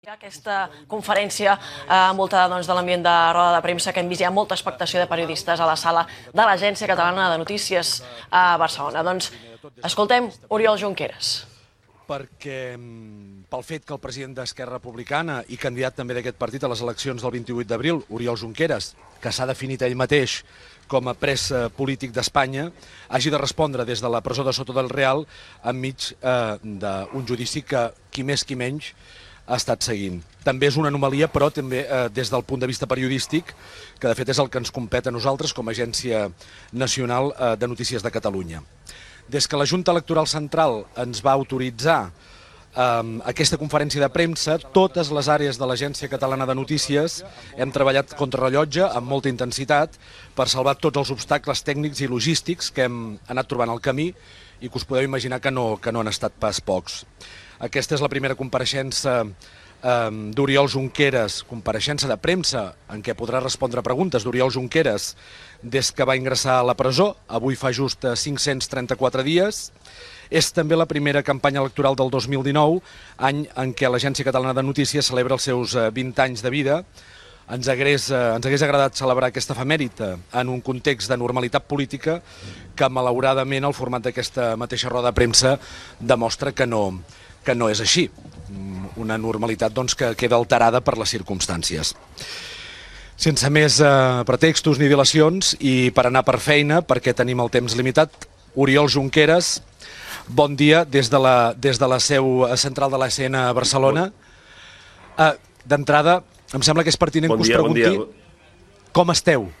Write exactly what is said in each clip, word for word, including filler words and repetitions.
Aquesta conferència envoltada de l'ambient de roda de premsa que hem vist, hi ha molta expectació de periodistes a la sala de l'Agència Catalana de Notícies a Barcelona. Doncs escoltem Oriol Junqueras. Perquè pel fet que el president d'Esquerra Republicana i candidat també d'aquest partit a les eleccions del vint-i-vuit d'abril, Oriol Junqueras, que s'ha definit ell mateix com a pres polític d'Espanya, hagi de respondre des de la presó de Soto del Real enmig d'un judici que qui més qui menys ha estat seguint. També és una anomalia, però també eh, des del punt de vista periodístic, que de fet és el que ens compet a nosaltres com a Agència Nacional eh, de Notícies de Catalunya. Des que la Junta Electoral Central ens va autoritzar eh, aquesta conferència de premsa, totes les àrees de l'Agència Catalana de Notícies hem treballat contrarrellotge amb molta intensitat per salvar tots els obstacles tècnics i logístics que hem anat trobant al camí i que us podeu imaginar que no, que no han estat pas pocs. Aquesta és la primera compareixença eh, d'Oriol Junqueras, compareixença de premsa en què podrà respondre preguntes d'Oriol Junqueras des que va ingressar a la presó, avui fa just cinc-cents trenta-quatre dies. És també la primera campanya electoral del dos mil dinou, any en què l'Agència Catalana de Notícies celebra els seus vint anys de vida. Ens hagués, ens hagués agradat celebrar aquesta efemèride en un context de normalitat política que, malauradament, el format d'aquesta mateixa roda de premsa demostra que no, que no és així. Una normalitat doncs, que queda alterada per les circumstàncies. Sense més eh, pretextos ni dilacions i per anar per feina, perquè tenim el temps limitat, Oriol Junqueras, bon dia des de la, des de la seu central de l'A S N a Barcelona. Eh, D'entrada, em sembla que és pertinent bon que us dia, pregunti bon dia. Com esteu?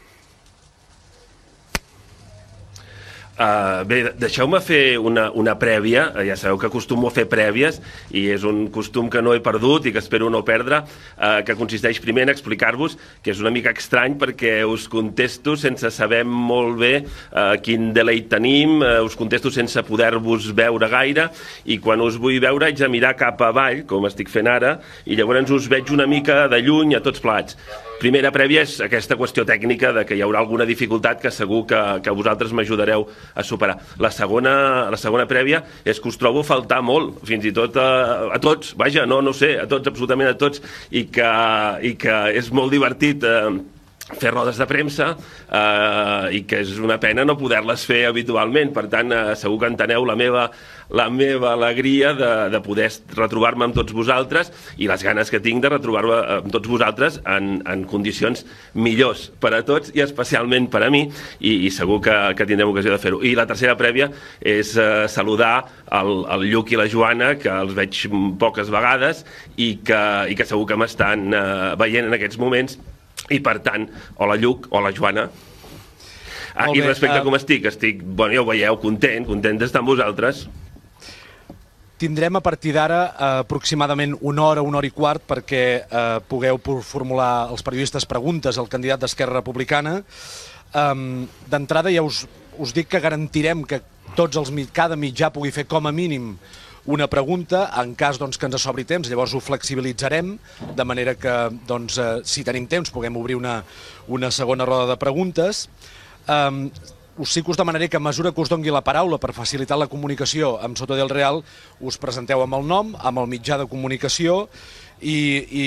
Uh, bé, deixeu-me fer una, una prèvia. Ja sabeu que acostumo a fer prèvies i és un costum que no he perdut i que espero no perdre, uh, que consisteix primer en explicar-vos que és una mica estrany perquè us contesto sense saber molt bé uh, quin delay tenim, uh, us contesto sense poder-vos veure gaire i quan us vull veure haig de mirar cap avall, com estic fent ara, i llavors us veig una mica de lluny a tots plats. Primera prèvia és aquesta qüestió tècnica de que hi haurà alguna dificultat que segur que, que vosaltres m'ajudareu a superar. La segona, la segona prèvia és que us trobo a faltar molt, fins i tot a, a tots, vaja, no, no sé, a tots, absolutament a tots, i que, i que és molt divertit eh, fer rodes de premsa eh, i que és una pena no poder-les fer habitualment. Per tant, eh, segur que enteneu la meva, la meva alegria de, de poder retrobar-me amb tots vosaltres i les ganes que tinc de retrobar-me amb tots vosaltres en, en condicions millors per a tots i especialment per a mi, i, i segur que, que tindrem ocasió de fer-ho. I la tercera prèvia és eh, saludar el, el Lluc i la Joana, que els veig poques vegades i que, i que segur que m'estan eh, veient en aquests moments. I per tant, hola Lluc, hola Joana. Ah, I respecte a com estic, estic, bueno, ja ho veieu, content, content d'estar amb vosaltres. Tindrem a partir d'ara eh, aproximadament una hora, una hora i quart perquè eh, pugueu formular als periodistes preguntes al candidat d'Esquerra Republicana. Um, D'entrada ja us, us dic que garantirem que tots els, cada mitjà pugui fer com a mínim una pregunta, en cas doncs, que ens sobri temps, llavors ho flexibilitzarem, de manera que doncs, eh, si tenim temps puguem obrir una, una segona roda de preguntes. Um, us sí que us demanaré que a mesura que us dongui la paraula per facilitar la comunicació amb Soto del Real, us presenteu amb el nom, amb el mitjà de comunicació i, i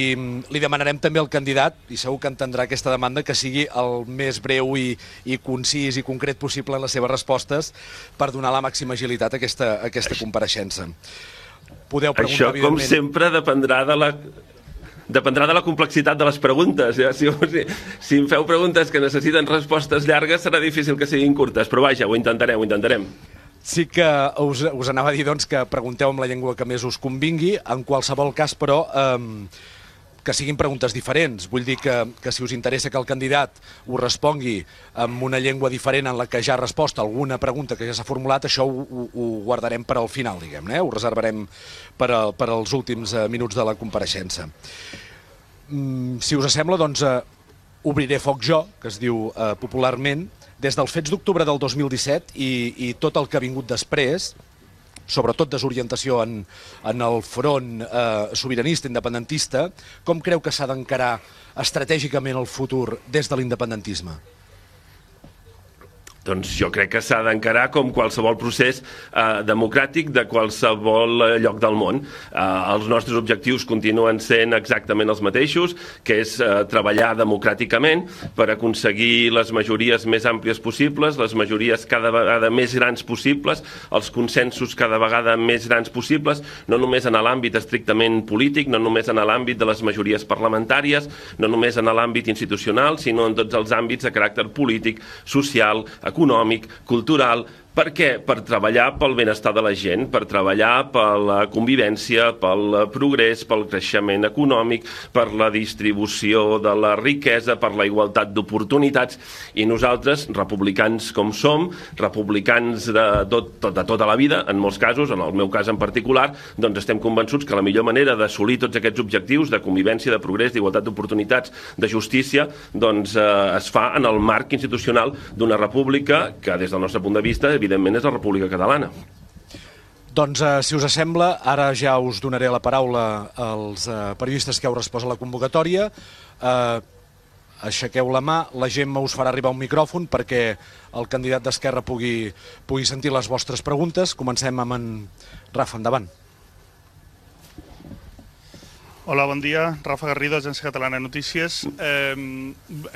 li demanarem també al candidat, i segur que entendrà aquesta demanda, que sigui el més breu i, i concís i concret possible en les seves respostes per donar la màxima agilitat a aquesta, a aquesta compareixença. Podeu preguntar, això, com evidentment... sempre, dependrà de la... Dependrà de la complexitat de les preguntes. Ja? Si, si, si em feu preguntes que necessiten respostes llargues, serà difícil que siguin curtes, però vaja, ho intentarem, ho intentarem. Sí que us, us anava a dir doncs, que pregunteu amb la llengua que més us convingui, en qualsevol cas, però, eh, que siguin preguntes diferents. Vull dir que, que si us interessa que el candidat us respongui amb una llengua diferent en la que ja ha respost alguna pregunta que ja s'ha formulat, això ho, ho, ho guardarem per al final, diguem-ne, eh? Ho reservarem per, a, per als últims eh, minuts de la compareixença. Mm, si us sembla, doncs, eh, obriré foc jo, que es diu eh, popularment, des dels fets d'octubre del dos mil disset i, i tot el que ha vingut després, sobretot desorientació en, en el front eh, sobiranista, independentista, com creu que s'ha d'encarar estratègicament el futur des de l'independentisme? Doncs jo crec que s'ha d'encarar com qualsevol procés eh, democràtic de qualsevol eh, lloc del món. Eh, els nostres objectius continuen sent exactament els mateixos, que és eh, treballar democràticament per aconseguir les majories més àmplies possibles, les majories cada vegada més grans possibles, els consensos cada vegada més grans possibles, no només en l'àmbit estrictament polític, no només en l'àmbit de les majories parlamentàries, no només en l'àmbit institucional, sinó en tots els àmbits de caràcter polític, social, econòmic, cultural. Per què? Per treballar pel benestar de la gent, per treballar per la convivència, pel progrés, pel creixement econòmic, per la distribució de la riquesa, per la igualtat d'oportunitats. I nosaltres, republicans com som, republicans de, tot, de tota la vida, en molts casos, en el meu cas en particular, doncs estem convençuts que la millor manera d'assolir tots aquests objectius de convivència, de progrés, d'igualtat d'oportunitats, de justícia, doncs eh, es fa en el marc institucional d'una república que, des del nostre punt de vista, evidentment és la República Catalana. Doncs, eh, si us sembla, ara ja us donaré la paraula als eh, periodistes que heu respost a la convocatòria. Eh, aixequeu la mà, la Gemma us farà arribar un micròfon perquè el candidat d'Esquerra pugui, pugui sentir les vostres preguntes. Comencem amb en Rafa, endavant. Hola, bon dia. Rafa Garrido, Agència Catalana de Notícies. Eh,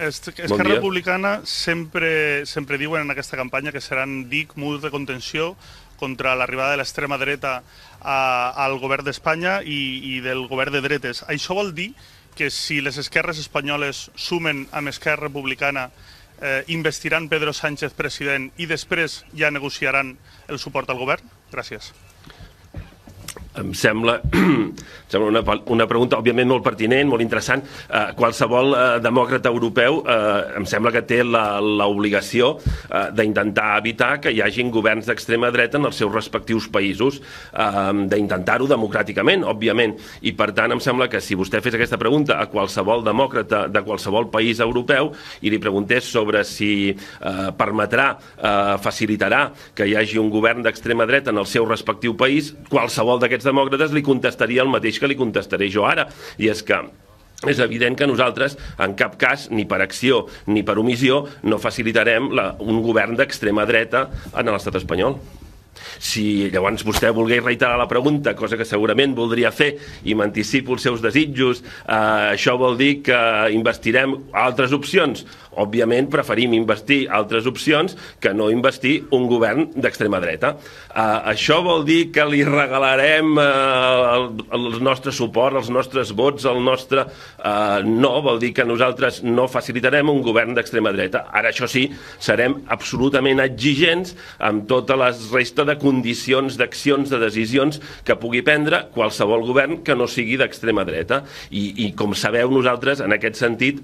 Esquerra bon Republicana sempre, sempre diuen en aquesta campanya que seran dic, murs de contenció contra l'arribada de l'extrema dreta a, al govern d'Espanya i, i del govern de dretes. Això vol dir que si les esquerres espanyoles sumen amb Esquerra Republicana eh, investiran Pedro Sánchez president i després ja negociaran el suport al govern? Gràcies. Em sembla, em sembla una, una pregunta, òbviament, molt pertinent, molt interessant. Eh, qualsevol eh, demòcrata europeu eh, em sembla que té l'obligació eh, d'intentar evitar que hi hagin governs d'extrema dreta en els seus respectius països, eh, d'intentar-ho democràticament, òbviament. I, per tant, em sembla que si vostè fes aquesta pregunta a qualsevol demòcrata de qualsevol país europeu i li preguntés sobre si eh, permetrà, eh, facilitarà que hi hagi un govern d'extrema dreta en el seu respectiu país, qualsevol d'aquests demòcrates li contestaria el mateix que li contestaré jo ara, i és que és evident que nosaltres, en cap cas, ni per acció ni per omissió, no facilitarem la, un govern d'extrema dreta en l'estat espanyol. Si llavors vostè volgués reiterar la pregunta, cosa que segurament voldria fer, i m'anticipo els seus desitjos, eh, això vol dir que investirem altres opcions. Òbviament preferim investir altres opcions que no investir un govern d'extrema dreta. Eh, això vol dir que li regalarem eh, el, el nostre suport, els nostres vots, el nostre... Eh, no, vol dir que nosaltres no facilitarem un govern d'extrema dreta. Ara, això sí, serem absolutament exigents amb tota la resta de condicions, d'accions, de decisions que pugui prendre qualsevol govern que no sigui d'extrema dreta. I, i com sabeu, nosaltres, en aquest sentit,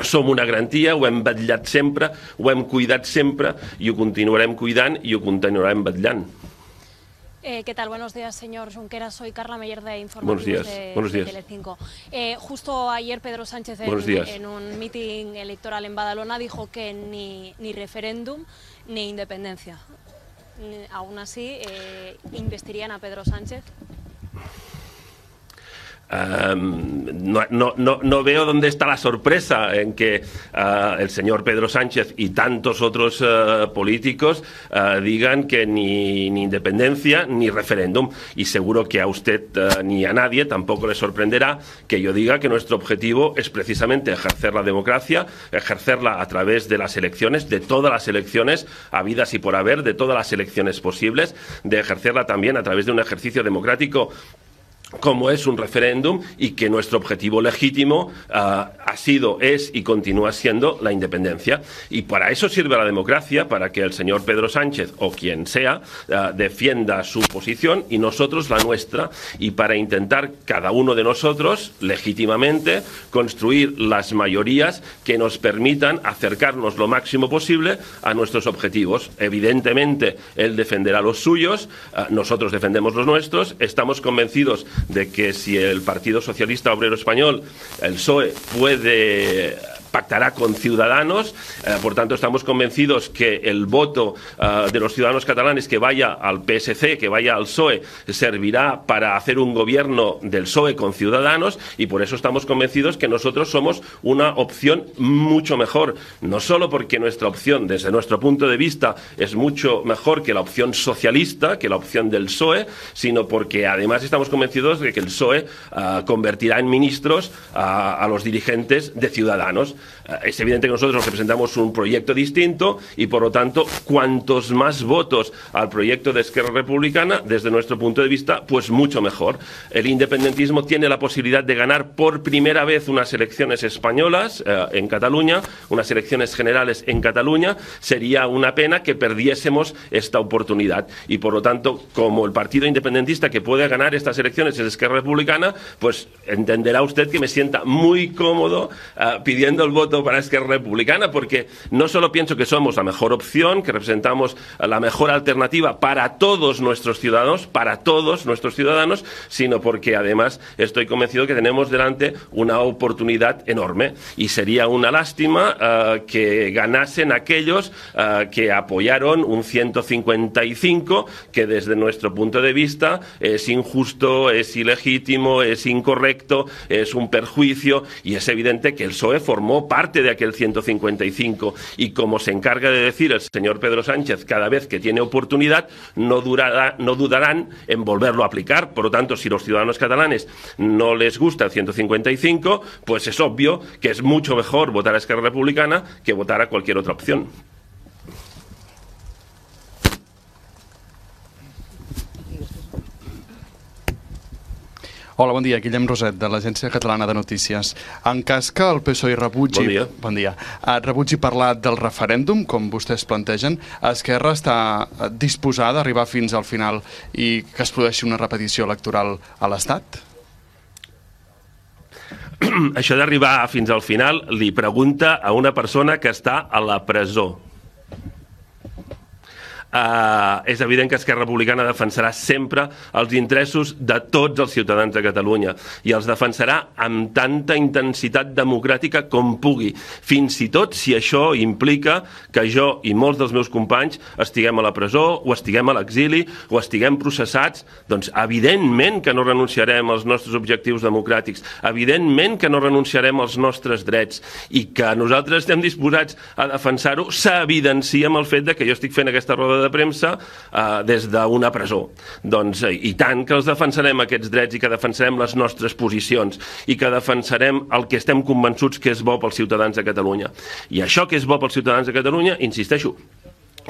som una garantia, ho hem vetllat sempre, ho hem cuidat sempre i ho continuarem cuidant i ho continuarem vetllant. Eh, ¿Qué tal? Buenos días, señor Junqueras. Soy Carla Meyer de Informativos de, de Telecinco. Eh, justo ayer Pedro Sánchez en, en un mitin electoral en Badalona dijo que ni, ni referéndum ni independencia. Aún así, eh, ¿investirían a Pedro Sánchez? Um, no, no, no, no veo dónde está la sorpresa en que uh, el señor Pedro Sánchez y tantos otros uh, políticos uh, digan que ni, ni independencia ni referéndum. Y seguro que a usted uh, ni a nadie tampoco le sorprenderá que yo diga que nuestro objetivo es precisamente ejercer la democracia, ejercerla a través de las elecciones, de todas las elecciones habidas y por haber, de todas las elecciones posibles, de ejercerla también a través de un ejercicio democrático como es un referéndum, y que nuestro objetivo legítimo uh, ha sido, es y continúa siendo la independencia. Y para eso sirve la democracia, para que el señor Pedro Sánchez o quien sea uh, defienda su posición y nosotros la nuestra, y para intentar cada uno de nosotros legítimamente construir las mayorías que nos permitan acercarnos lo máximo posible a nuestros objetivos. Evidentemente él defenderá los suyos, uh, nosotros defendemos los nuestros. Estamos convencidos de que si el Partido Socialista Obrero Español, el P S O E, puede pactará con Ciudadanos, eh, por tanto estamos convencidos que el voto eh, de los ciudadanos catalanes que vaya al P S C, que vaya al P S O E, servirá para hacer un gobierno del P S O E con Ciudadanos, y por eso estamos convencidos que nosotros somos una opción mucho mejor, no solo porque nuestra opción, desde nuestro punto de vista, es mucho mejor que la opción socialista, que la opción del P S O E, sino porque además estamos convencidos de que el P S O E uh, convertirá en ministros uh, a los dirigentes de Ciudadanos. Uh, es evidente que nosotros representamos un proyecto distinto y, por lo tanto, cuantos más votos al proyecto de Esquerra Republicana, desde nuestro punto de vista, pues mucho mejor. El independentismo tiene la posibilidad de ganar por primera vez unas elecciones españolas uh, en Cataluña, unas elecciones generales en Cataluña. Sería una pena que perdiésemos esta oportunidad y, por lo tanto, como el partido independentista que puede ganar estas elecciones es Esquerra Republicana, pues entenderá usted que me sienta muy cómodo uh, pidiendo el voto para Esquerra Republicana, porque no solo pienso que somos la mejor opción, que representamos la mejor alternativa para todos nuestros ciudadanos, para todos nuestros ciudadanos, sino porque además estoy convencido que tenemos delante una oportunidad enorme y sería una lástima uh, que ganasen aquellos uh, que apoyaron un ciento cincuenta y cinco que desde nuestro punto de vista es injusto, es ilegítimo, es incorrecto, es un perjuicio, y es evidente que el P S O E formó parte de aquel ciento cincuenta y cinco y, como se encarga de decir el señor Pedro Sánchez cada vez que tiene oportunidad, no, durará, no dudarán en volverlo a aplicar. Por lo tanto, si los ciudadanos catalanes no les gusta el ciento cincuenta y cinco, pues es obvio que es mucho mejor votar a Esquerra Republicana que votar a cualquier otra opción. Hola, bon dia. Guillem Roset, de l'Agència Catalana de Notícies. En cas que el P S O E rebutgi, bon dia. Bon dia, rebutgi parlar del referèndum, com vostès plantegen, Esquerra està disposada a arribar fins al final i que es produeixi una repetició electoral a l'Estat? Això d'arribar fins al final li pregunta a una persona que està a la presó. Uh, és evident que Esquerra Republicana defensarà sempre els interessos de tots els ciutadans de Catalunya i els defensarà amb tanta intensitat democràtica com pugui, fins i tot si això implica que jo i molts dels meus companys estiguem a la presó o estiguem a l'exili o estiguem processats. Doncs evidentment que no renunciarem als nostres objectius democràtics, evidentment que no renunciarem als nostres drets, i que nosaltres estem disposats a defensar-ho s'evidencia amb el fet de que jo estic fent aquesta roda de premsa eh, des d'una presó. Doncs eh, i tant que els defensarem aquests drets i que defensarem les nostres posicions i que defensarem el que estem convençuts que és bo pels ciutadans de Catalunya. I això que és bo pels ciutadans de Catalunya, insisteixo,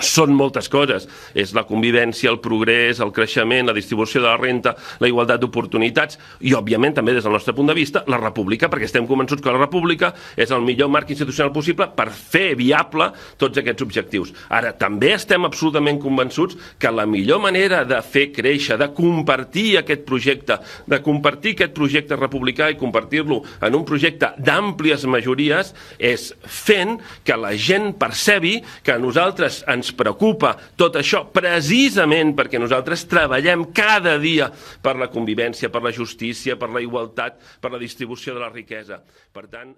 són moltes coses. És la convivència, el progrés, el creixement, la distribució de la renta, la igualtat d'oportunitats i, òbviament, també des del nostre punt de vista, la república, perquè estem convençuts que la república és el millor marc institucional possible per fer viable tots aquests objectius. Ara, també estem absolutament convençuts que la millor manera de fer créixer, de compartir aquest projecte, de compartir aquest projecte republicà i compartir-lo en un projecte d'àmplies majories, és fent que la gent percebi que a nosaltres ens ens preocupa tot això precisament perquè nosaltres treballem cada dia per la convivència, per la justícia, per la igualtat, per la distribució de la riquesa. Per tant...